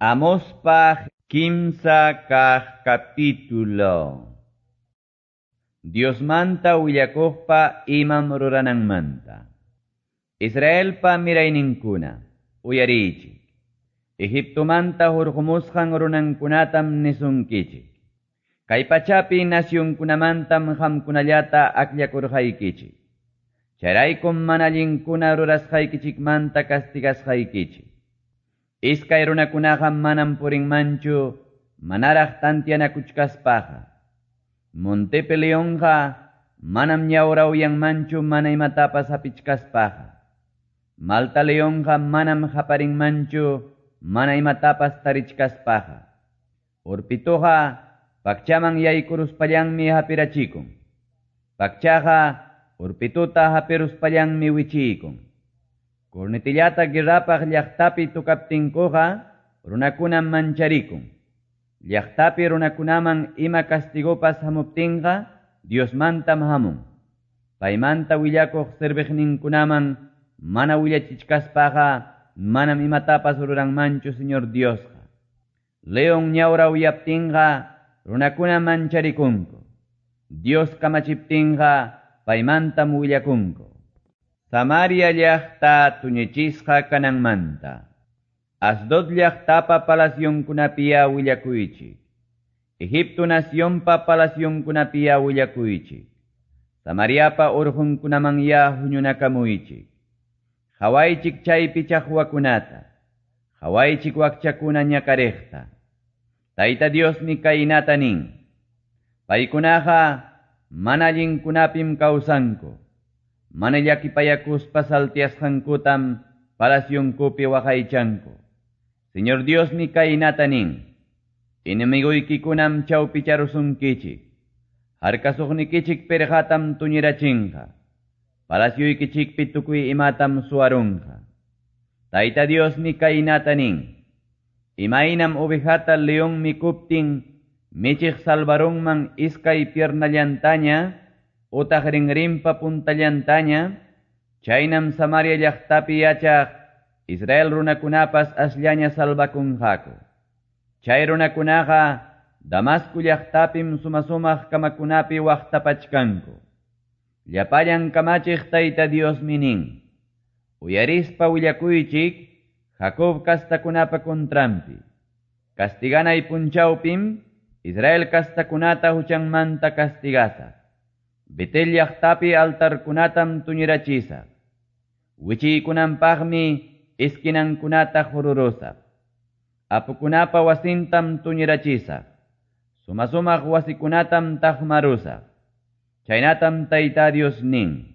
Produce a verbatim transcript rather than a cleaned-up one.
Amospaj kimsa kaq capítulo. Diosmanta willakuqpa imam rurananmanta. Israelpa mirayninkuna, uyariychik. Egiptomanta hurqumusqan runankunatam nisunkichik. Kay pachapi nacionkunamantam qamkunallata akllakurqaykichik. Chayraykum mana allinkuna rurasqaykichikmanta castigasqaykichik. Iskay runakunaqa manam purinmanchu manaraq tantianakuchkaspaqa. Montepi leonqa manam ñawrawyanmanchu mana imatapas hapichkaspaqa. Malta leonqa manam haparinmanchu mana imatapas tarichkaspaqa. Urpituqa pakchaman yaykuruspallanmi hapirachikun. Pakchaqa urpituta hapiruspallanmi wichiykun. Cornetillata guerrapaq llaqtapi tukaptinkuqa runakunam mancharikun. Llaqtapi runakunaman ima castigopas hamuptinqa Diosmantam hamun. Paymanta willakuq serviqninkunaman mana willachichkaspaqa manam imatapas ruranmanchu Señor Diosqa. León ñawrawyaptinqa runakuna mancharikunku. Dios kamachiptinqa paymantam willakunku. Samaria llaqta tuñichisqa kananmanta. Asdod llaqtapa palacionkunapiya willakuychik. Egipto nacionpa palacionkunapiya willakuychik. Samariapa urqunkunamanya huñunakamuychik. Qhawaychik chaypi chaqwakunata. Qhawaychik wakchakuna ñakariqta. Tayta Diosmi kaynata nin. Paykunaqa mana allinkunapim kawsanku. Mana llakipayakuspa saltiasqankutam palacionkupi waqaychanku. Señor Diosmi kaynata nin. Enemiguykikunam chawpicharusunkichik. Harkasuqnikichik pirqatam tuñirachinqa. Palacioykichikpi tukuy imatam suwarunqa. Tayta Diosmi kaynata nin. Imaynam ovejata león mikuptin michiq salvarunman iskay piernallantaña utaq rinrinpa puntallantaña, chaynam Samaria llaqtapi yachaq Israel runakunapas asllaña salvakunqaku. Chay runakunaqa Damasco llaqtapim sumasumaq kamakunapi waqtapachkanku. Llapallan kamachiq Tayta Diosmi nin. Uyarispa willakuychik Jacob kastakunapa kontrampi. Castiganay punchawpim Israel kastakunata huchanmanta castigasaq. Betel llaqtapi altarkunatam tuñirachisaq. Wichiykunanpaqmi esquinankunata jururusaq. Apukunapa wasintam tuñirachisaq. Sumasumaq wasikunatam taqmarusaq. Chaynatam Tayta Dios nin.